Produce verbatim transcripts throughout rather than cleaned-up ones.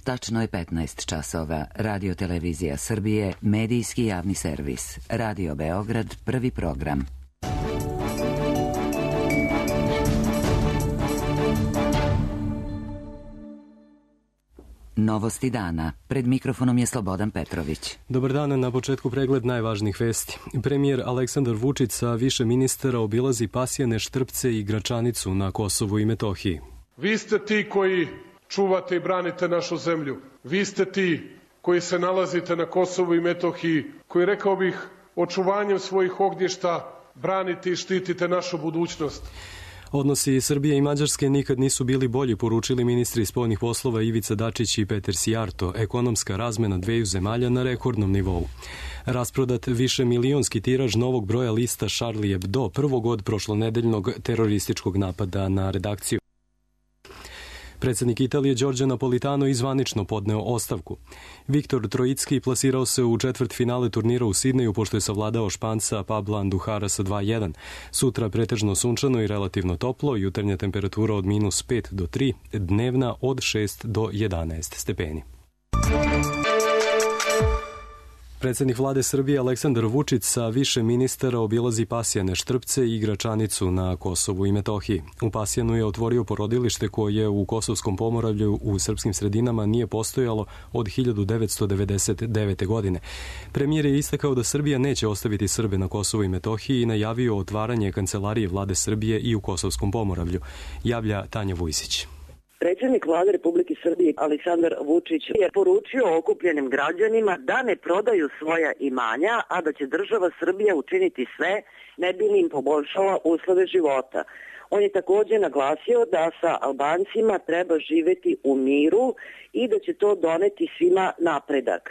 Tačno je petnaest časova. Radio Televizija Srbije, medijski javni servis. Radio Beograd, prvi program. Novosti dana. Pred mikrofonom je Slobodan Petrović. Dobar dan, na početku pregled najvažnijih vesti. Premijer Aleksandar Vučić sa više ministara obilazi Pasjane, Štrpce i Gračanicu na Kosovu i Metohiji. Vi ste ti koji čuvate i branite našu zemlju. Vi ste ti koji se nalazite na Kosovu i Metohiji, koji, rekao bih, očuvanjem svojih ognjišta branite i štitite našu budućnost. Odnosi Srbije i Mađarske nikad nisu bili bolji, poručili ministri spoljnih poslova Ivica Dačić i Peter Sijarto. Ekonomska razmena dveju zemalja na rekordnom nivou. Rasprodat više milionski tiraž novog broja lista Charlie Hebdo, prvog od prošlonedeljnog terorističkog napada na redakciju. Predsjednik Italije Giorgio Napolitano izvanično podneo ostavku. Viktor Trojicki plasirao se u četvrtfinale turnira u Sidneju pošto je savladao Španca Pabla Anduhara sa dva jedan. Sutra pretežno sunčano i relativno toplo, jutarnja temperatura od minus pet do tri, dnevna od šest do jedanaest stepeni. Predsjednik vlade Srbije Aleksandar Vučić sa više ministara obilazi Pasjane, Štrpce i Gračanicu na Kosovu i Metohiji. U Pasjanu je otvorio porodilište koje u Kosovskom pomoravlju u srpskim sredinama nije postojalo od hiljadu devetsto devedeset devete. godine. Premijer je istakao da Srbija neće ostaviti Srbe na Kosovu i Metohiji i najavio otvaranje kancelarije vlade Srbije i u Kosovskom pomoravlju. Javlja Tanja Vujsić. Predsjednik vlade Republike Srbije Aleksandar Vučić je poručio okupljenim građanima da ne prodaju svoja imanja, a da će država Srbija učiniti sve ne bi li im poboljšala uslove života. On je također naglasio da sa Albancima treba živjeti u miru i da će to doneti svima napredak.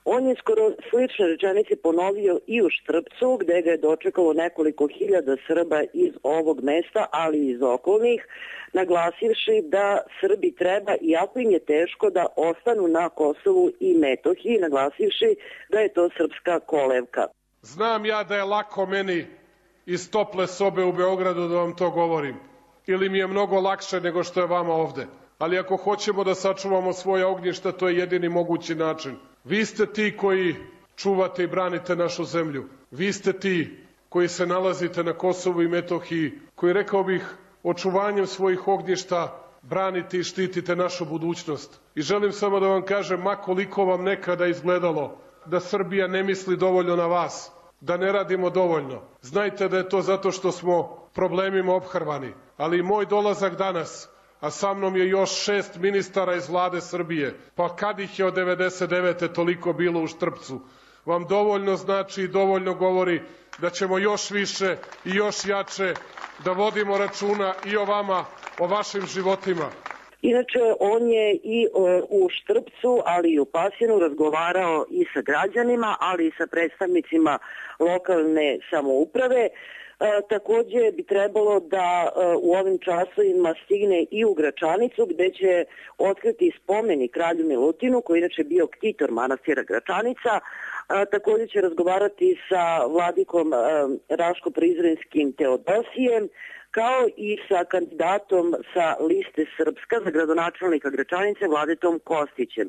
On je skoro slične rečenice ponovio i u Štrpcu, gde ga je dočekalo nekoliko hiljada Srba iz ovog mesta, ali i iz okolnih, naglasivši da Srbi treba, iako im je teško, da ostanu na Kosovu i Metohiji, naglasivši da je to srpska kolevka. Znam ja da je lako meni iz tople sobe u Beogradu da vam to govorim. Ili mi je mnogo lakše nego što je vama ovde. Ali ako hoćemo da sačuvamo svoje ognjišta, to je jedini mogući način. Vi ste ti koji čuvate i branite našu zemlju. Vi ste ti koji se nalazite na Kosovu i Metohiji, koji, rekao bih, očuvanjem svojih ognjišta branite i štitite našu budućnost. I želim samo da vam kažem, ma koliko vam nekada izgledalo da Srbija ne misli dovoljno na vas, da ne radimo dovoljno. Znajte da je to zato što smo problemima ophrvani. Ali i moj dolazak danas, a sa mnom je još šest ministara iz vlade Srbije, pa kad ih je od devedeset devete toliko bilo u Štrpcu, vam dovoljno znači i dovoljno govori da ćemo još više i još jače da vodimo računa i o vama, o vašim životima. Inače, on je i u Štrpcu, ali i u Pasjanu razgovarao i sa građanima, ali i sa predstavnicima lokalne samouprave. E, također bi trebalo da e, u ovim časovima stigne i u Gračanicu, gde će otkriti spomenik kralju Milutinu, koji inače bio ktitor manastira Gračanica. E, također će razgovarati sa vladikom e, Raško-Prizrenskim Teodosijem, kao i sa kandidatom sa liste Srpska za gradonačelnika Gračanice Vladetom Kostićem.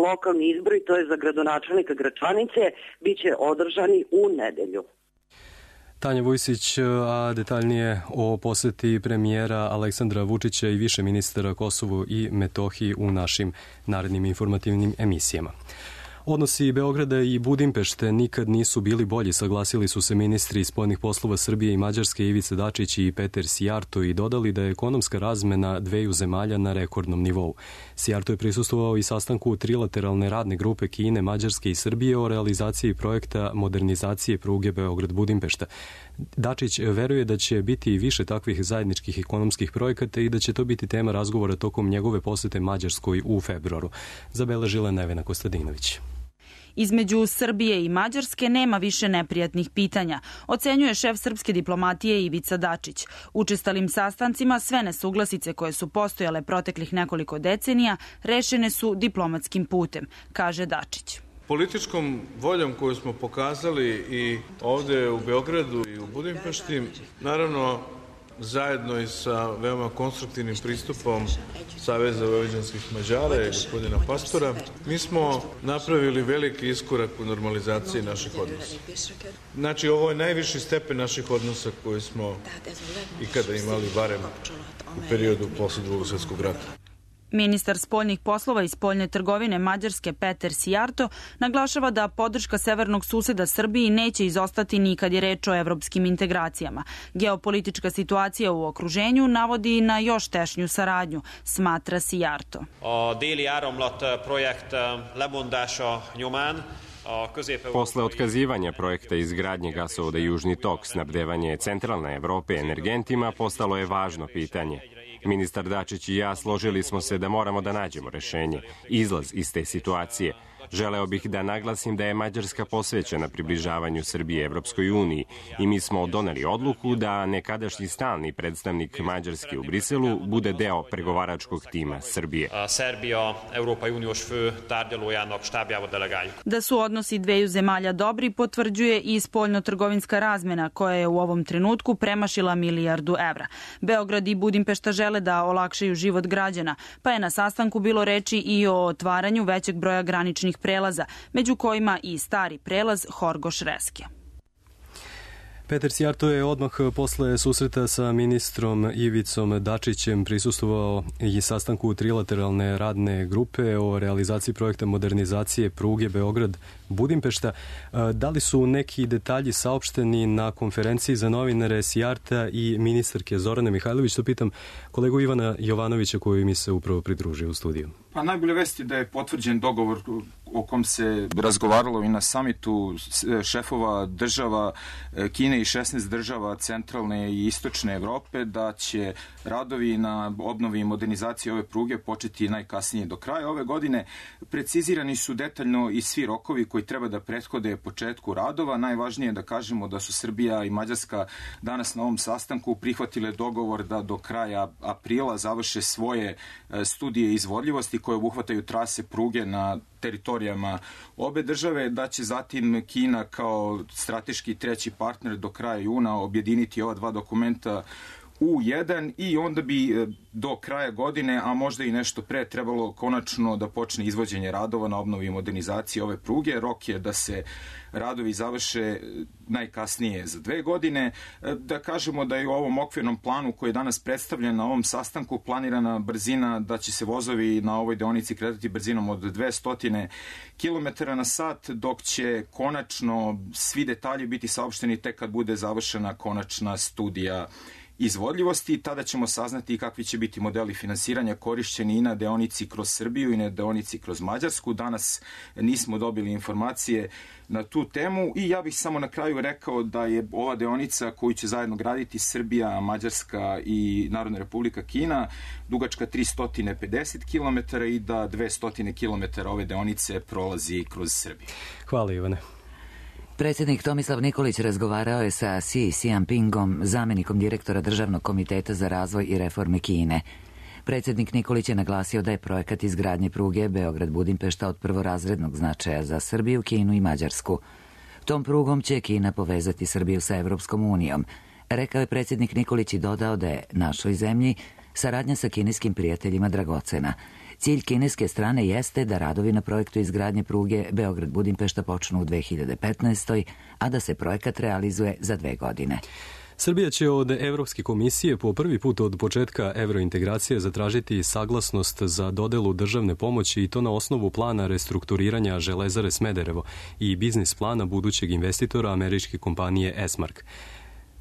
Lokalni izbori, to je za gradonačelnika Gračanice, bit će održani u nedelju. Tanja Vujsić, a detaljnije o poseti premijera Aleksandra Vučića i više ministara Kosovu i Metohiji u našim narednim informativnim emisijama. Odnosi Beograda i Budimpešte nikad nisu bili bolji, saglasili su se ministri spoljnih poslova Srbije i Mađarske Ivica Dačić i Peter Sijarto i dodali da je ekonomska razmena dveju zemalja na rekordnom nivou. Sijarto je prisustvovao i sastanku trilateralne radne grupe Kine, Mađarske i Srbije o realizaciji projekta modernizacije pruge Beograd-Budimpešta. Dačić veruje da će biti više takvih zajedničkih ekonomskih projekata i da će to biti tema razgovora tokom njegove posete Mađarskoj u februaru. Zabeležila Nevena Kostadinović. Između Srbije i Mađarske nema više neprijatnih pitanja, ocenjuje šef srpske diplomatije Ivica Dačić. Učestalim sastancima sve nesuglasice koje su postojale proteklih nekoliko decenija rešene su diplomatskim putem, kaže Dačić. Političkom voljom koju smo pokazali i ovde u Beogradu i u Budimpešti, naravno zajedno i sa veoma konstruktivnim pristupom Saveza vojvođanskih Mađara i gospodina Pastora, mi smo napravili veliki iskorak u normalizaciji naših odnosa. Znači, ovo je najviši stepen naših odnosa koji smo ikada imali, barem u periodu posle Drugog svjetskog rata. Ministar spoljnih poslova i spoljne trgovine Mađarske Peter Sijarto naglašava da podrška severnog suseda Srbiji neće izostati ni kad je reč o evropskim integracijama. Geopolitička situacija u okruženju navodi na još tešnju saradnju, smatra Sijarto. A déli áramlat projekt lebondása nyomán Posle otkazivanja projekta izgradnje gasovoda Južni tok, snabdevanje centralne Evrope energentima postalo je važno pitanje. Ministar Dačić i ja složili smo se da moramo da nađemo rešenje, izlaz iz te situacije. Želeo bih da naglasim da je Mađarska posvećena približavanju Srbije Evropskoj uniji i mi smo doneli odluku da nekadašnji stalni predstavnik Mađarske u Briselu bude deo pregovaračkog tima Srbije. Serbija, Európai Uniós fő tárgyalójának štábjába delegáljuk. Da su odnosi dveju zemalja dobri potvrđuje i spoljno-trgovinska razmena koja je u ovom trenutku premašila milijardu evra. Beograd i Budimpešta žele da olakšaju život građana, pa je na sastanku bilo reči i o otvaranju većeg broja graničnih prelaza, među kojima i stari prelaz Horgoš-Reske. Peter Sijarto je odmah posle susreta sa ministrom Ivicom Dačićem prisustvovao i sastanku trilateralne radne grupe o realizaciji projekta modernizacije pruge Beograd-Budimpešta. Da li su neki detalji saopšteni na konferenciji za novinare Sijarta i ministarke Zorane Mihajlović? To pitam kolegu Ivana Jovanovića koji mi se upravo pridružio u studiju. Pa najbolje vesti da je potvrđen dogovor o kom se razgovaralo i na samitu šefova država Kine i šesnaest država centralne i istočne Evrope, da će radovi na obnovi i modernizaciji ove pruge početi najkasnije do kraja ove godine. Precizirani su detaljno i svi rokovi koji treba da prethode početku radova. Najvažnije je da kažemo da su Srbija i Mađarska danas na ovom sastanku prihvatile dogovor da do kraja aprila završe svoje studije izvodljivosti koje obuhvataju trase pruge na teritorijama obe države, da će zatim Kina kao strateški treći partner do kraja juna objediniti ova dva dokumenta u jedan i onda bi do kraja godine, a možda i nešto pre, trebalo konačno da počne izvođenje radova na obnovi i modernizaciji ove pruge. Rok je da se radovi završe najkasnije za dve godine. Da kažemo da je u ovom okvirnom planu koji je danas predstavljen na ovom sastanku planirana brzina da će se vozovi na ovoj deonici kretati brzinom od dvesta kilometara na sat, dok će konačno svi detalji biti saopšteni tek kad bude završena konačna studija izvodljivosti. Tada ćemo saznati kakvi će biti modeli finansiranja korišćeni i na deonici kroz Srbiju i na deonici kroz Mađarsku. Danas nismo dobili informacije na tu temu i ja bih samo na kraju rekao da je ova deonica koju će zajedno graditi Srbija, Mađarska i Narodna Republika Kina dugačka tristo pedeset kilometara i da dvesta kilometara ove deonice prolazi kroz Srbiju. Hvala Ivane. Predsjednik Tomislav Nikolić razgovarao je sa Xi Jinpingom, zamjenikom direktora Državnog komiteta za razvoj i reforme Kine. Predsjednik Nikolić je naglasio da je projekat izgradnje pruge Beograd-Budimpešta od prvorazrednog značaja za Srbiju, Kinu i Mađarsku. Tom prugom će Kina povezati Srbiju sa Evropskom unijom. Rekao je predsjednik Nikolić i dodao da je našoj zemlji saradnja sa kineskim prijateljima dragocena. Cilj kineske strane jeste da radovi na projektu izgradnje pruge Beograd-Budimpešta počnu u dve hiljade petnaestoj. a da se projekat realizuje za dve godine. Srbija će od Evropske komisije po prvi put od početka evrointegracije zatražiti saglasnost za dodelu državne pomoći i to na osnovu plana restrukturiranja Železare Smederevo i biznis plana budućeg investitora američke kompanije Esmark.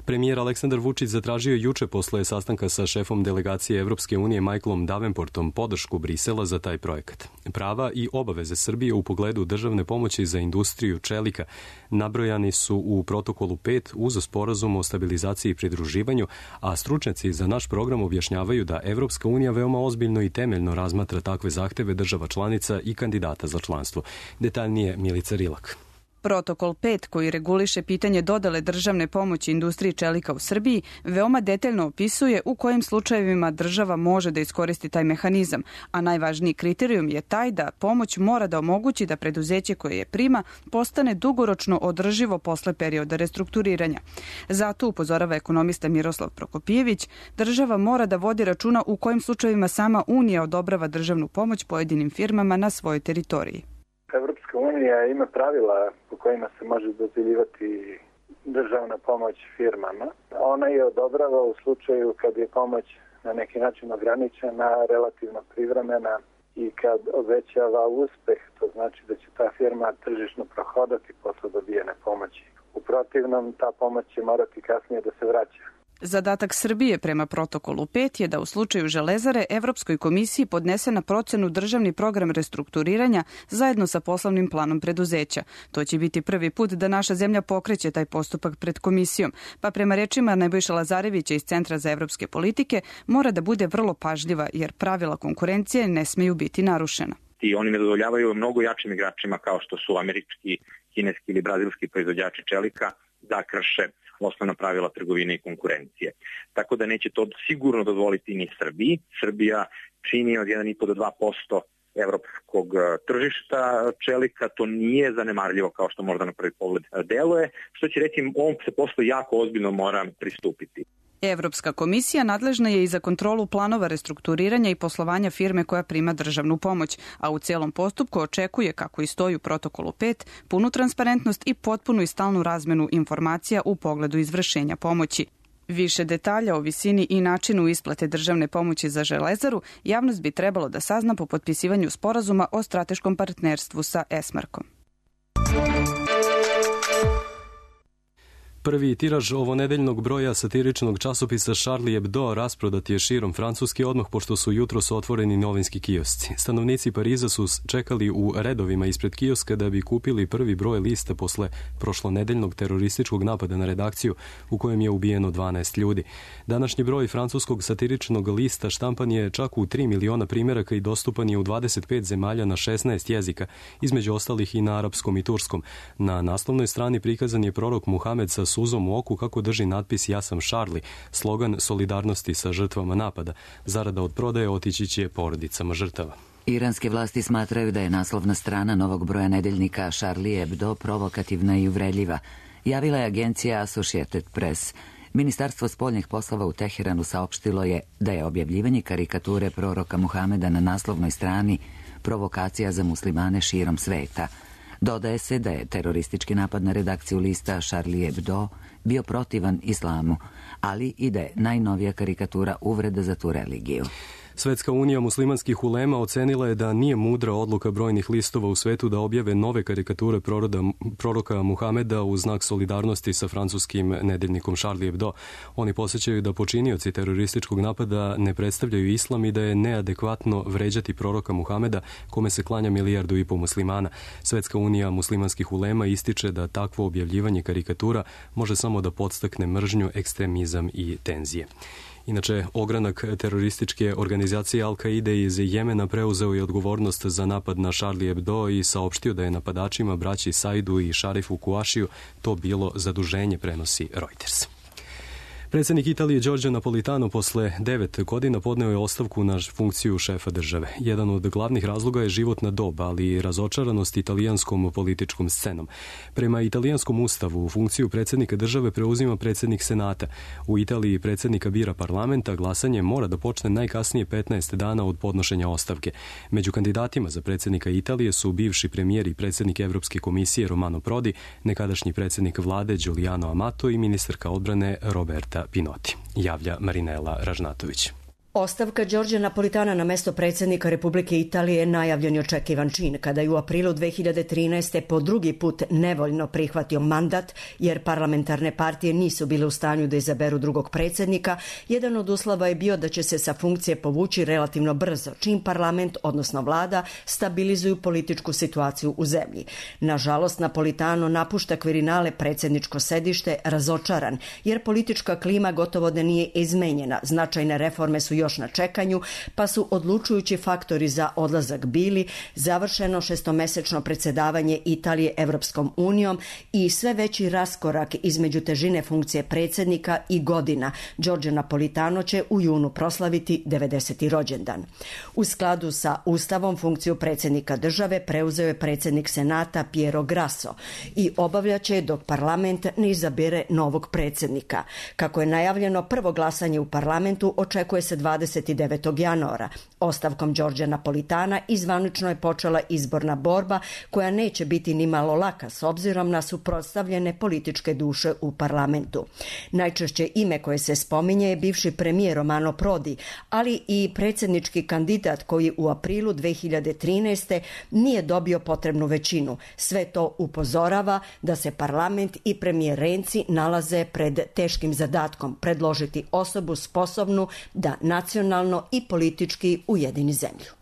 Premijer Aleksandar Vučić zatražio juče posle sastanka sa šefom delegacije Evropske unije Michaelom Davenportom podršku Brisela za taj projekat. Prava i obaveze Srbije u pogledu državne pomoći za industriju čelika nabrojani su u protokolu pet uz sporazum o stabilizaciji i pridruživanju, a stručnjaci za naš program objašnjavaju da Evropska unija veoma ozbiljno i temeljno razmatra takve zahteve država članica i kandidata za članstvo. Detaljnije Milica Rilak. Protokol pet, koji reguliše pitanje dodele državne pomoći industriji čelika u Srbiji, veoma detaljno opisuje u kojim slučajevima država može da iskoristi taj mehanizam, a najvažniji kriterijum je taj da pomoć mora da omogući da preduzeće koje je prima postane dugoročno održivo posle perioda restrukturiranja. Zato, upozorava ekonomista Miroslav Prokopijević, država mora da vodi računa u kojim slučajevima sama Unija odobrava državnu pomoć pojedinim firmama na svojoj teritoriji. Evropska unija ima pravila po kojima se može dodjeljivati državna pomoć firmama. Ona je odobrava u slučaju kad je pomoć na neki način ograničena, relativno privremena i kad obećava uspeh, to znači da će ta firma tržišno prohodati posle dobijene pomoći. U protivnom, ta pomoć će morati kasnije da se vraća. Zadatak Srbije prema protokolu pet je da u slučaju Železare Evropskoj komisiji podnese na procenu državni program restrukturiranja zajedno sa poslovnim planom preduzeća. To će biti prvi put da naša zemlja pokreće taj postupak pred komisijom, pa prema rečima Nebojše Lazarevića iz Centra za evropske politike mora da bude vrlo pažljiva jer pravila konkurencije ne smeju biti narušena. I oni ne dozvoljavaju mnogo jačim igračima kao što su američki, kineski ili brazilski proizvođači čelika da krše osnovna pravila trgovine i konkurencije. Tako da neće to sigurno dozvoliti ni Srbiji. Srbija čini od jedan i po do dva posto evropskog tržišta čelika, to nije zanemarljivo kao što možda na prvi pogled deluje, što će reći ovom se poslu jako ozbiljno mora pristupiti. Evropska komisija nadležna je i za kontrolu planova restrukturiranja i poslovanja firme koja prima državnu pomoć, a u celom postupku očekuje, kako i stoji u protokolu pet, punu transparentnost i potpunu i stalnu razmenu informacija u pogledu izvršenja pomoći. Više detalja o visini i načinu isplate državne pomoći za Železaru javnost bi trebalo da sazna po potpisivanju sporazuma o strateškom partnerstvu sa Esmarkom. Prvi tiraž ovonedeljnog broja satiričnog časopisa Charlie Hebdo rasprodat je širom Francuske odmah pošto su jutros otvoreni novinski kiosci. Stanovnici Pariza su čekali u redovima ispred kioska da bi kupili prvi broj lista posle prošlonedeljnog terorističkog napada na redakciju u kojem je ubijeno dvanaest ljudi. Današnji broj francuskog satiričnog lista štampan je čak u tri miliona primjeraka i dostupan je u dvadeset pet zemalja na šesnaest jezika, između ostalih i na arapskom i turskom. Na naslovnoj strani prikazan je prorok Muhamed sa suzom u oku kako drži natpis Ja sam Charlie, slogan solidarnosti sa žrtvama napada. Zarada od prodaje otići će porodicama žrtava. Iranske vlasti smatraju da je naslovna strana novog broja nedeljnika Charlie Hebdo provokativna i uvredljiva. Javila je agencija Associated Press. Ministarstvo spoljnih poslova u Teheranu saopštilo je da je objavljivanje karikature proroka Muhameda na naslovnoj strani provokacija za muslimane širom sveta. Dodaje se da je teroristički napad na redakciju lista Charlie Hebdo bio protivan islamu, ali i da je najnovija karikatura uvreda za tu religiju. Svetska unija muslimanskih ulema ocenila je da nije mudra odluka brojnih listova u svetu da objave nove karikature proroda, proroka Muhameda u znak solidarnosti sa francuskim nedeljnikom Charlie Hebdo. Oni posjećaju da počinioci terorističkog napada ne predstavljaju islam i da je neadekvatno vređati proroka Muhameda kome se klanja milijardu i po muslimana. Svetska unija muslimanskih ulema ističe da takvo objavljivanje karikatura može samo da podstakne mržnju, ekstremizam i tenzije. Inače, ogranak terorističke organizacije Al-Kaide iz Jemena preuzeo je odgovornost za napad na Charlie Hebdo i saopštio da je napadačima braći Saidu i Šarifu Kuašiju to bilo zaduženje, prenosi Reuters. Predsjednik Italije Giorgio Napolitano posle devet godina podneo je ostavku na funkciju šefa države. Jedan od glavnih razloga je životna dob, ali i razočaranost italijanskom političkom scenom. Prema italijanskom ustavu, funkciju predsjednika države preuzima predsjednik senata. U Italiji predsjednika bira parlamenta, glasanje mora da počne najkasnije petnaest dana od podnošenja ostavke. Među kandidatima za predsjednika Italije su bivši premijer i predsjednik Evropske komisije Romano Prodi, nekadašnji predsjednik vlade Giuliano Amato i ministarka odbrane Roberta Pinoti, javlja Marinela Ražnatović. Ostavka Giorgia Napolitana na mesto predsjednika Republike Italije je najavljen i očekivan čin kada je u aprilu dve hiljade trinaeste. po drugi put nevoljno prihvatio mandat jer parlamentarne partije nisu bile u stanju da izaberu drugog predsjednika. Jedan od uslova je bio da će se sa funkcije povući relativno brzo, čim parlament, odnosno vlada, stabilizuju političku situaciju u zemlji. Nažalost, Napolitano napušta Quirinale predsjedničko sedište razočaran jer politička klima gotovo da nije izmenjena. Značajne reforme su još na čekanju, pa su odlučujući faktori za odlazak bili završeno šestomesečno predsjedavanje Italije Evropskom unijom i sve veći raskorak između težine funkcije predsjednika i godina. Giorgio Napolitano će u junu proslaviti devedeseti rođendan. U skladu sa Ustavom funkciju predsjednika države preuzeo je predsjednik Senata Piero Grasso i obavljaće dok parlament ne izabere novog predsjednika. Kako je najavljeno, prvo glasanje u parlamentu očekuje se dvadeset devetog januara. Ostavkom Giorgia Napolitana izvanično je počela izborna borba koja neće biti ni malo laka s obzirom na suprotstavljene političke duše u parlamentu. Najčešće ime koje se spominje je bivši premijer Romano Prodi, ali i predsjednički kandidat koji u aprilu dve hiljade trinaeste. nije dobio potrebnu većinu. Sve to upozorava da se parlament i premijer Renzi nalaze pred teškim zadatkom predložiti osobu sposobnu da nacionalno i politički ujedini zemlju.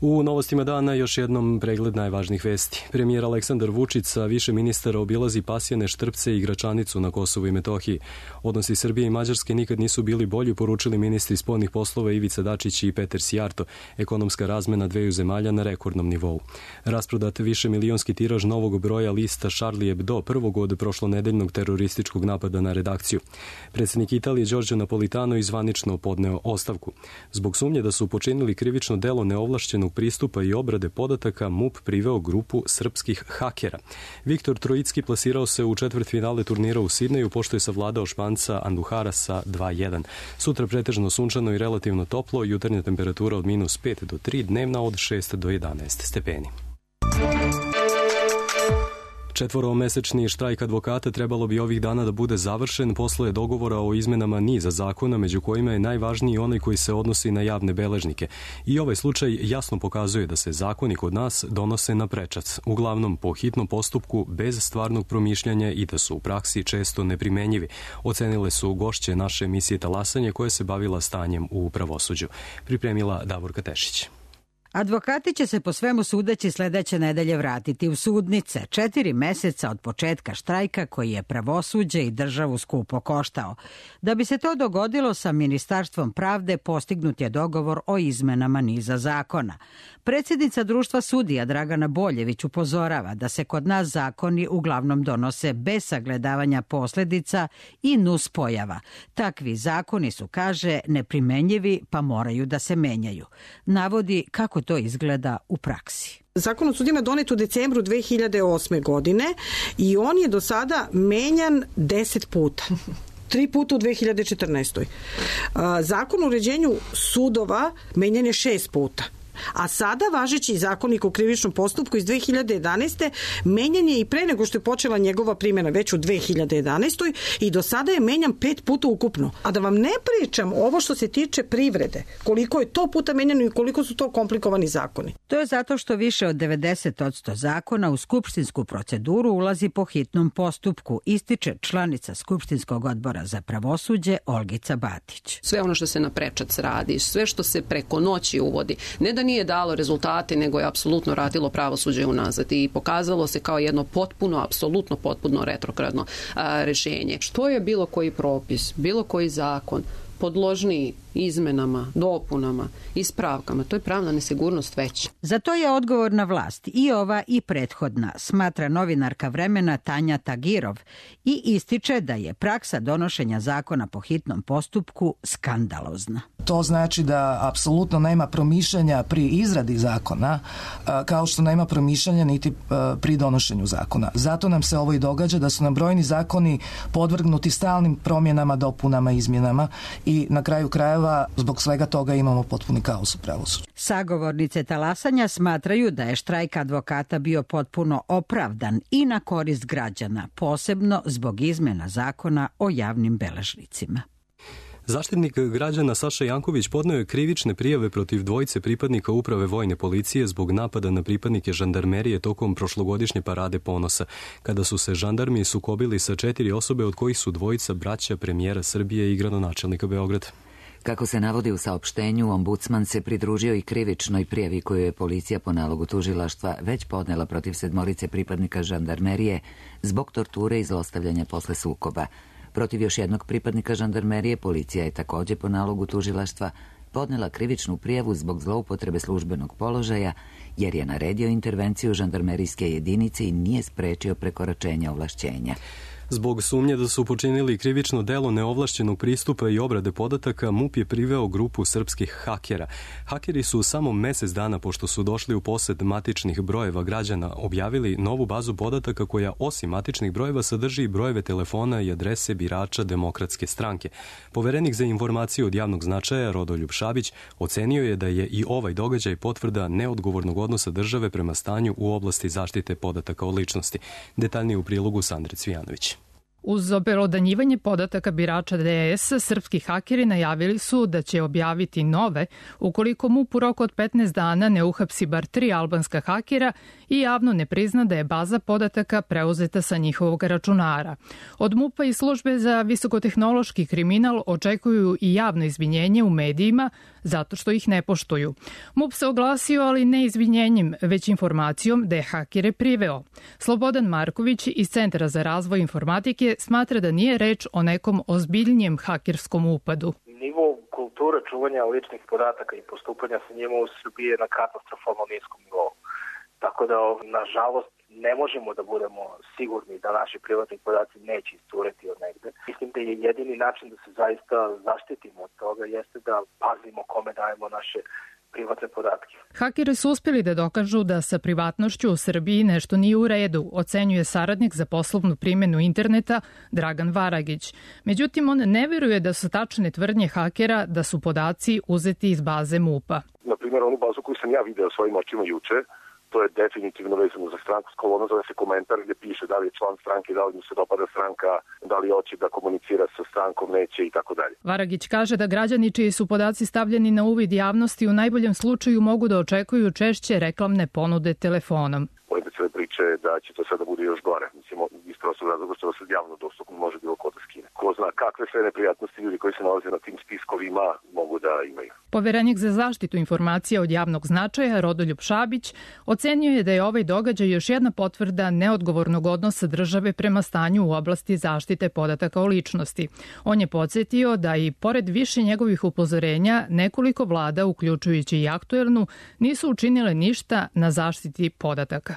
U novostima dana još jednom pregled najvažnijih vesti. Premijer Aleksandar Vučić sa više ministara obilazi Pasjane, Štrpce i Gračanicu na Kosovu i Metohiji. Odnosi Srbije i Mađarske nikad nisu bili bolji, poručili ministri spoljnih poslova Ivica Dačić i Peter Sijarto. Ekonomska razmena dveju zemalja na rekordnom nivou. Rasprodat više milionski tiraž novog broja lista Charlie Hebdo, prvog od prošlonedeljnog terorističkog napada na redakciju. Predsjednik Italije Giorgio Napolitano izvanično podneo ostavku. Zbog sumnje da su počinili krivično delo neovlašćenog pristupa i obrade podataka, M U P priveo grupu srpskih hakera. Viktor Trojicki plasirao se u četvrtfinale turnira u Sidneju, pošto je savladao Španca Anduhara sa dva jedan. Sutra pretežno sunčano i relativno toplo, jutarnja temperatura od minus pet do tri, dnevna od šest do jedanaest stepeni. Četvoromesečni štrajk advokata trebalo bi ovih dana da bude završen posle dogovora o izmenama niza zakona, među kojima je najvažniji onaj koji se odnosi na javne beležnike. I ovaj slučaj jasno pokazuje da se zakoni kod nas donose na prečac, uglavnom po hitnom postupku, bez stvarnog promišljanja i da su u praksi često neprimenjivi. Ocenile su gošće naše emisije Talasanje koja se bavila stanjem u pravosuđu. Pripremila Davorka Tešić. Advokati će se po svemu sudeći sledeće nedelje vratiti u sudnice, četiri meseca od početka štrajka koji je pravosuđe i državu skupo koštao. Da bi se to dogodilo, sa Ministarstvom pravde postignut je dogovor o izmenama niza zakona. Predsjednica društva sudija Dragana Boljević upozorava da se kod nas zakoni uglavnom donose bez sagledavanja posledica i nuspojava. Takvi zakoni su, kaže, neprimenjivi pa moraju da se menjaju. Navodi kako to izgleda u praksi. Zakon o sudijama donet u decembru dve hiljade osme. godine i on je do sada menjan deset puta. Tri puta u dve hiljade četrnaestoj. Zakon o uređenju sudova menjan je šest puta. A sada važeći zakonik o krivičnom postupku iz dve hiljade jedanaeste. menjan je i pre nego što je počela njegova primjena već u dve hiljade jedanaestoj. i do sada je menjan pet puta ukupno. A da vam ne pričam ovo što se tiče privrede, koliko je to puta menjano i koliko su to komplikovani zakoni. To je zato što više od devedeset posto zakona u skupštinsku proceduru ulazi po hitnom postupku, ističe članica Skupštinskog odbora za pravosuđe Olgica Batić. Sve ono što se na prečac radi, sve što se preko noći uvodi, ne da nije dalo rezultate, nego je apsolutno radilo pravosuđe unazad i pokazalo se kao jedno potpuno, apsolutno potpuno retrogradno a, rešenje. Što je bilo koji propis, bilo koji zakon podložniji izmenama, dopunama, ispravkama, to je pravna nesigurnost veća. Za to je odgovorna vlast i ova i prethodna, smatra novinarka Vremena Tanja Tagirov i ističe da je praksa donošenja zakona po hitnom postupku skandalozna. To znači da apsolutno nema promišljanja pri izradi zakona, kao što nema promišljanja niti pri donošenju zakona. Zato nam se ovo i događa, da su nam brojni zakoni podvrgnuti stalnim promjenama, dopunama, izmjenama i na kraju krajeva zbog svega toga imamo potpuni kaos u pravosuđu. Sagovornice Talasanja smatraju da je štrajk advokata bio potpuno opravdan i na korist građana, posebno zbog izmena zakona o javnim beležnicima. Zaštitnik građana Saša Janković podneo je krivične prijave protiv dvojice pripadnika uprave vojne policije zbog napada na pripadnike žandarmerije tokom prošlogodišnje parade ponosa, kada su se žandarmi sukobili sa četiri osobe, od kojih su dvojica braća premijera Srbije i gradonačelnika Beograda. Kako se navodi u saopštenju, ombudsman se pridružio i krivičnoj prijavi koju je policija po nalogu tužilaštva već podnela protiv sedmorice pripadnika žandarmerije zbog torture i zlostavljanja posle sukoba. Protiv još jednog pripadnika žandarmerije policija je također po nalogu tužilaštva podnela krivičnu prijavu zbog zloupotrebe službenog položaja jer je naredio intervenciju žandarmerijske jedinice i nije sprečio prekoračenja ovlašćenja. Zbog sumnje da su počinili krivično delo neovlašćenog pristupa i obrade podataka, MUP je priveo grupu srpskih hakera. Hakeri su samo mesec dana pošto su došli u posed matičnih brojeva građana objavili novu bazu podataka koja osim matičnih brojeva sadrži i brojeve telefona i adrese birača Demokratske stranke. Poverenik za informacije od javnog značaja Rodoljub Šabić ocenio je da je i ovaj događaj potvrda neodgovornog odnosa države prema stanju u oblasti zaštite podataka o ličnosti. Detaljnije u prilogu Sandre Cvijanović. Uz obelodanjivanje podataka birača D S, srpski hakeri najavili su da će objaviti nove ukoliko MUP u roku od petnaest dana ne uhapsi bar tri albanska hakera i javno ne prizna da je baza podataka preuzeta sa njihovog računara. Od MUP-a i službe za visokotehnološki kriminal očekuju i javno izvinjenje u medijima zato što ih ne poštuju. MUP se oglasio, ali ne izvinjenjem, već informacijom da je hakere priveo. Slobodan Marković iz Centra za razvoj informatike smatra da nije reč o nekom ozbiljnijem hakerskom upadu. Nivo kulture čuvanja ličnih podataka i postupanja sa njima u Srbiji je na katastrofalno niskom nivou. Tako da, nažalost, ne možemo da budemo sigurni da naši privatni podaci neće iscureti od negde. Mislim da je jedini način da se zaista zaštitimo od toga jeste da pazimo kome dajemo naše privatne podatke. Hakeri su uspjeli da dokažu da sa privatnošću u Srbiji nešto nije u redu, ocenjuje saradnik za poslovnu primjenu interneta Dragan Varagić. Međutim, on ne vjeruje da su tačne tvrdnje hakera da su podaci uzeti iz baze MUP-a. Na primjer, onu bazu koju sam ja video svojim očima juče, to je definitivno vezano za stranku s kolonom, zove se komentar gdje piše da li je član stranke, da li mu se dopada stranka, da li hoće da komunicira sa strankom, neće i tako dalje. Varagić kaže da građani čiji su podaci stavljeni na uvid javnosti u najboljem slučaju mogu da očekuju češće reklamne ponude telefonom. Pojede cijele priče da će to sada bude još gore. Mislim, iz prostog razloga što se javno dostupno može bilo ko da skine. Ko zna kakve sve neprijatnosti ljudi koji se nalaze na tim spiskovima mogu da imaju. Poverenik za zaštitu informacija od javnog značaja Rodoljub Šabić ocenio je da je ovaj događaj još jedna potvrda neodgovornog odnosa države prema stanju u oblasti zaštite podataka o ličnosti. On je podsjetio da i pored više njegovih upozorenja nekoliko vlada, uključujući i aktuelnu, nisu učinile ništa na zaštiti podataka.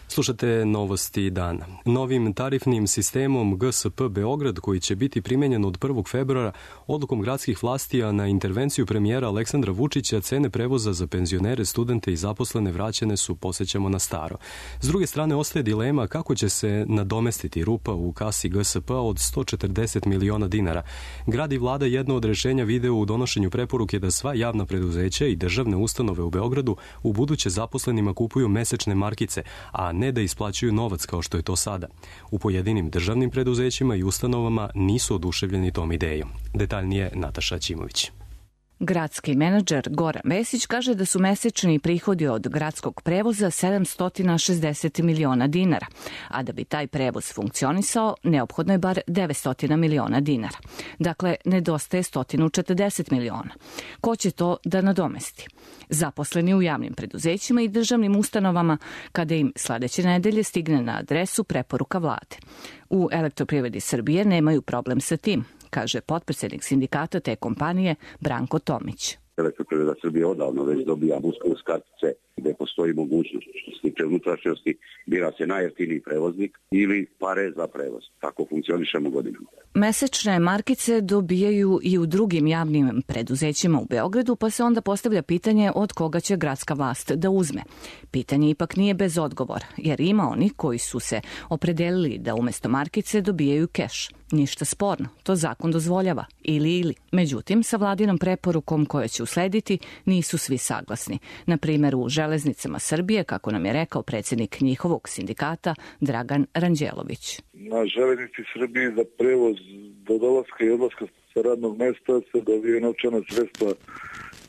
Slušate novosti dana. Novim tarifnim sistemom G S P Beograd, koji će biti primenjen od prvog februara, odlukom gradskih vlasti, a na intervenciju premijera Aleksandra Vučića, cene prevoza za penzionere, studente i zaposlene vraćene su, podsjećamo, na staro. S druge strane, ostaje dilema kako će se nadomestiti rupa u kasi G S P od sto četrdeset miliona dinara. Grad i vlada jedno od rešenja vide u donošenju preporuke da sva javna preduzeća i državne ustanove u Beogradu u buduće zaposlenima kupuju mesečne markice, a ne da isplaćuju novac kao što je to sada. U pojedinim državnim preduzećima i ustanovama nisu oduševljeni tom idejom. Detaljnije Nataša Ćimović. Gradski menadžer Goran Vesić kaže da su mesečni prihodi od gradskog prevoza sedamsto šezdeset miliona dinara, a da bi taj prevoz funkcionisao, neophodno je bar devetsto miliona dinara. Dakle, nedostaje sto četrdeset miliona. Ko će to da nadomesti? Zaposleni u javnim preduzećima i državnim ustanovama, kada im sledeće nedelje stigne na adresu preporuka vlade. U Elektroprivredi Srbije nemaju problem sa tim, kaže potpredsednik sindikata te kompanije Branko Tomić. Elektroprivreda Srbije odavno već dobija buskos kartice gde postoji mogućnost što se tiče unutrašnjosti, bira se najjeftiniji prevoznik ili pare za prevoz. Tako funkcionišemo godinama. Mesečne markice dobijaju i u drugim javnim preduzećima u Beogradu, pa se onda postavlja pitanje od koga će gradska vlast da uzme. Pitanje ipak nije bez odgovora, jer ima oni koji su se opredelili da umesto markice dobijaju keš. Ništa sporno, to zakon dozvoljava, ili ili. Međutim, sa vladinom preporukom koja će uslediti nisu svi saglasni. Na primjer, u Železnicama Srbije, kako nam je rekao predsjednik njihovog sindikata Dragan Ranđelović. Na Železnici Srbije za prevoz do dolaska i odlaska sa radnog mesta se dobije novčana sredstva.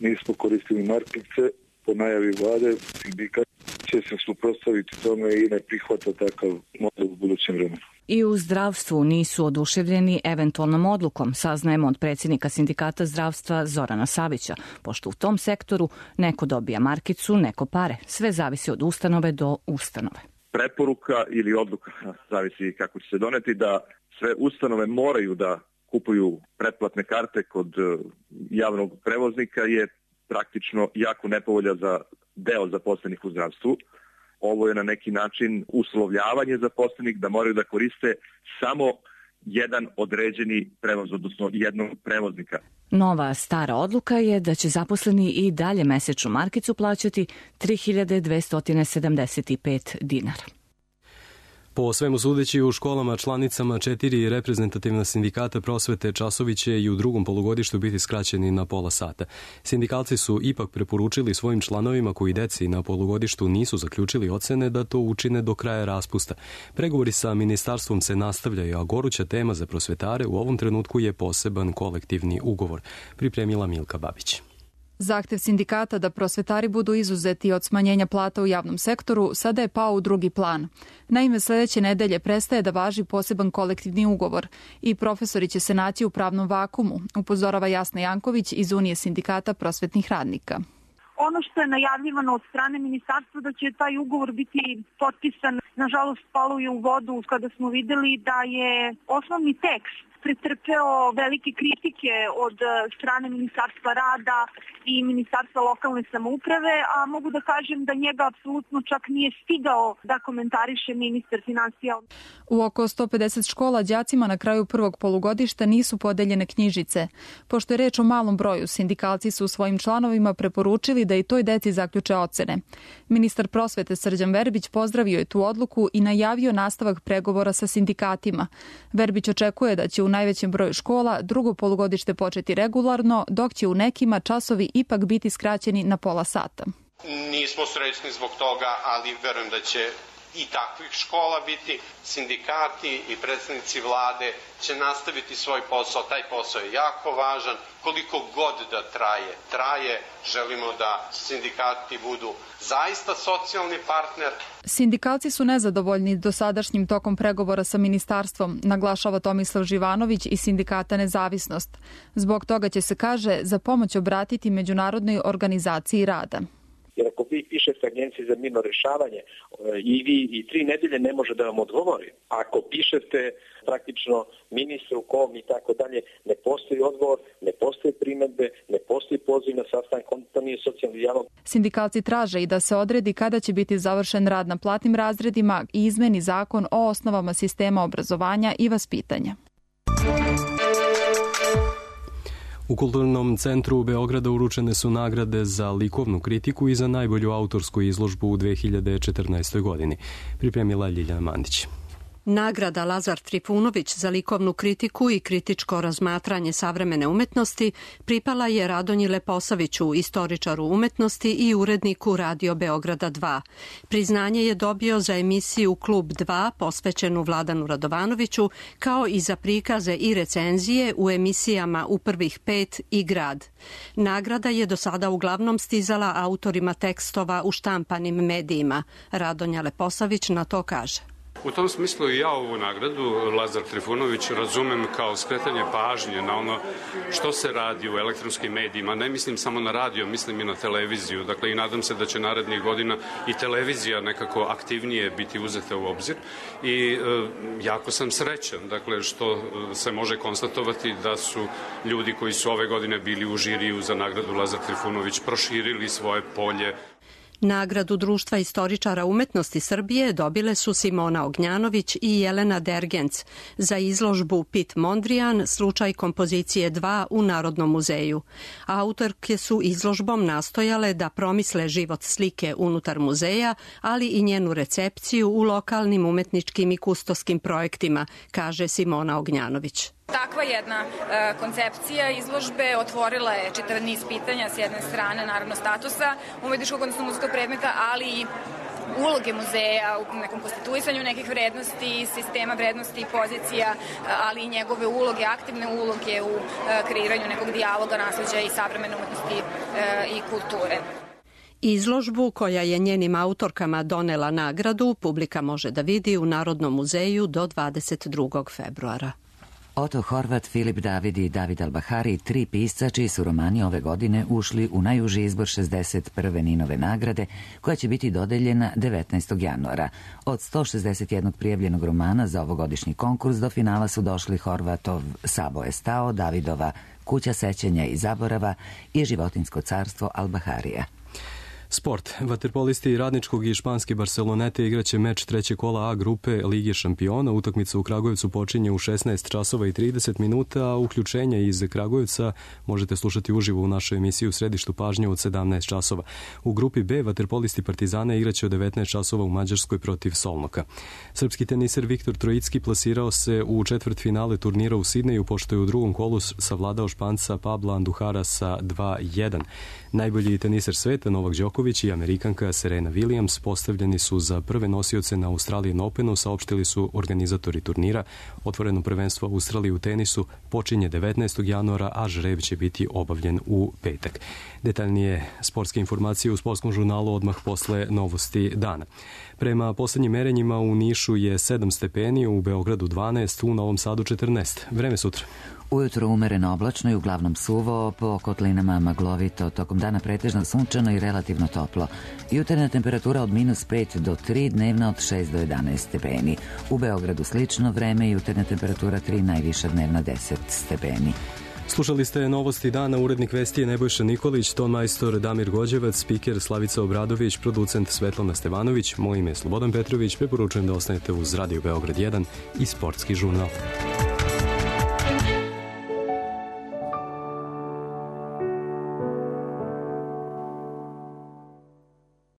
Nismo koristili markice, po najavi vlade sindikat će se suprotstaviti tome i ne prihvata takav model u budućem vremenu. I u zdravstvu nisu oduševljeni eventualnom odlukom, saznajemo od predsjednika sindikata zdravstva Zorana Savića, pošto u tom sektoru neko dobija markicu, neko pare. Sve zavisi od ustanove do ustanove. Preporuka ili odluka, zavisi kako će se doneti, da sve ustanove moraju da kupuju pretplatne karte kod javnog prevoznika je praktično jako nepovolja za deo zaposlenih u zdravstvu. Ovo je na neki način uslovljavanje zaposlenih da moraju da koriste samo jedan određeni prevoz, odnosno jednog prevoznika. Nova stara odluka je da će zaposleni i dalje mesečnu markicu plaćati tri hiljade dvesta sedamdeset pet dinara. Po svemu sudeći, u školama članicama četiri reprezentativna sindikata prosvete časovi će i u drugom polugodištu biti skraćeni na pola sata. Sindikalci su ipak preporučili svojim članovima koji deci na polugodištu nisu zaključili ocene da to učine do kraja raspusta. Pregovori sa ministarstvom se nastavljaju, a goruća tema za prosvetare u ovom trenutku je poseban kolektivni ugovor, pripremila Milka Babić. Zahtev sindikata da prosvetari budu izuzeti od smanjenja plata u javnom sektoru sada je pao u drugi plan. Naime, sledeće nedelje prestaje da važi poseban kolektivni ugovor i profesori će se naći u pravnom vakumu, upozorava Jasna Janković iz Unije sindikata prosvetnih radnika. Ono što je najavljivano od strane ministarstva da će taj ugovor biti potpisan, nažalost palo je u vodu kada smo videli da je osnovni tekst pretrpeo velike kritike od strane Ministarstva rada i Ministarstva lokalne samouprave, a mogu da kažem da njega apsolutno čak nije stigao da komentariše ministar finansija. U oko sto pedeset škola đacima na kraju prvog polugodišta nisu podeljene knjižice. Pošto je reč o malom broju, sindikalci su svojim članovima preporučili da i toj deci zaključe ocene. Ministar prosvete Srđan Verbić pozdravio je tu odluku i najavio nastavak pregovora sa sindikatima. Verbić očekuje da će u najvećem broju škola drugo polugodište početi regularno, dok će u nekima časovi ipak biti skraćeni na pola sata. Nismo srećni zbog toga, ali verujem da će i takvih škola biti. Sindikati i predstavnici vlade će nastaviti svoj posao. Taj posao je jako važan. Koliko god da traje, traje. Želimo da sindikati budu zaista socijalni partner. Sindikalci su nezadovoljni dosadašnjim tokom pregovora sa ministarstvom, naglašava Tomislav Živanović iz sindikata Nezavisnost. Zbog toga će se, kaže, za pomoć obratiti Međunarodnoj organizaciji rada. Jer ako vi pišete Agenciji za mirno rešavanje i vi i tri nedelje ne može da vam odgovori. Ako pišete praktično ministru, kom i tako dalje, ne postoji odgovor, ne postoji primedbe, ne postoji poziv na sastanak, to nije socijalni dijalog. Sindikalci traže i da se odredi kada će biti završen rad na platnim razredima i izmeni zakon o osnovama sistema obrazovanja i vaspitanja. U Kulturnom centru Beograda uručene su nagrade za likovnu kritiku i za najbolju autorsku izložbu u dve hiljade četrnaestoj. godini. Pripremila Ljiljana Mandić. Nagrada Lazar Trifunović za likovnu kritiku i kritičko razmatranje savremene umetnosti pripala je Radonji Leposaviću, istoričaru umetnosti i uredniku Radio Beograda dva. Priznanje je dobio za emisiju Klub dva posvećenu Vladanu Radovanoviću, kao i za prikaze i recenzije u emisijama U prvih pet i Grad. Nagrada je do sada uglavnom stizala autorima tekstova u štampanim medijima. Radonja Leposavić na to kaže. U tom smislu i ja ovu nagradu, Lazar Trifunović, razumem kao skretanje pažnje na ono što se radi u elektronskim medijima. Ne mislim samo na radio, mislim i na televiziju. Dakle, i nadam se da će narednih godina i televizija nekako aktivnije biti uzeta u obzir. I e, jako sam srećan, dakle, što se može konstatovati da su ljudi koji su ove godine bili u žiriju za nagradu Lazar Trifunović proširili svoje polje. Nagradu Društva istoričara umetnosti Srbije dobile su Simona Ognjanović i Jelena Dergenc za izložbu Pit Mondrian, slučaj kompozicije dva u Narodnom muzeju. Autorke su izložbom nastojale da promisle život slike unutar muzeja, ali i njenu recepciju u lokalnim umetničkim i kustoskim projektima, kaže Simona Ognjanović. Takva jedna e, koncepcija izložbe otvorila je čitav niz pitanja, s jedne strane naravno statusa umetničkog, odnosno muzejskog predmeta, ali i uloge muzeja u nekom konstituisanju nekih vrednosti, sistema vrednosti i pozicija, ali i njegove uloge, aktivne uloge u e, kreiranju nekog dijaloga, nasleđa i savremene umetnosti e, i kulture. Izložbu koja je njenim autorkama donela nagradu publika može da vidi u Narodnom muzeju do dvadeset drugog februara. Oto Horvat, Filip David i David Albahari, tri pisca čiji su romani ove godine ušli u najuži izbor šezdeset prve Ninove nagrade, koja će biti dodeljena devetnaestog januara. Od sto šezdeset jednog prijavljenog romana za ovogodišnji konkurs do finala su došli Horvatov Sabo je stao, Davidova Kuća sećanja i zaborava i Životinjsko carstvo Albaharija. Sport. Vaterpolisti Radničkog i španske Barcelonete igraće meč treće kola A grupe Lige šampiona. Utakmica u Kragujevcu počinje u šesnaest časova i trideset minuta, a uključenje iz Kragujevca možete slušati uživo u našoj emisiji u središtu pažnje od sedamnaest časova. U grupi B vaterpolisti Partizana igraće od devetnaest časova u Mađarskoj protiv Solnoka. Srpski teniser Viktor Trojicki plasirao se u četvrtfinale turnira u Sidneju, pošto je u drugom kolu savladao Španca Pabla Anduhara sa dva jedan. Najbolji teniser sveta Novak Đoković i Amerikanka Serena Williams postavljeni su za prve nosioce na Australian Openu, saopštili su organizatori turnira. Otvoreno prvenstvo Australije u tenisu počinje devetnaestog januara, a žreb će biti obavljen u petak. Detaljnije sportske informacije u sportskom žurnalu odmah posle novosti dana. Prema poslednjim merenjima u Nišu je sedam stepeni, u Beogradu dvanaest, u Novom Sadu četrnaest. Vreme sutra. Ujutro umereno oblačno i uglavnom suvo, po kotlinama maglovito, tokom dana pretežno sunčano i relativno toplo. Jutarnja temperatura od minus pet do tri, dnevna od šest do jedanaest stepeni. U Beogradu slično vreme, jutarnja temperatura tri, najviša dnevna deset stepeni. Slušali ste novosti dana, urednik vesti je Nebojša Nikolić, ton majstor Damir Gođevac, spiker Slavica Obradović, producent Svetlana Stevanović, moje ime je Slobodan Petrović, preporučujem da ostanete uz Radio Beograd jedan i Sportski žurnal.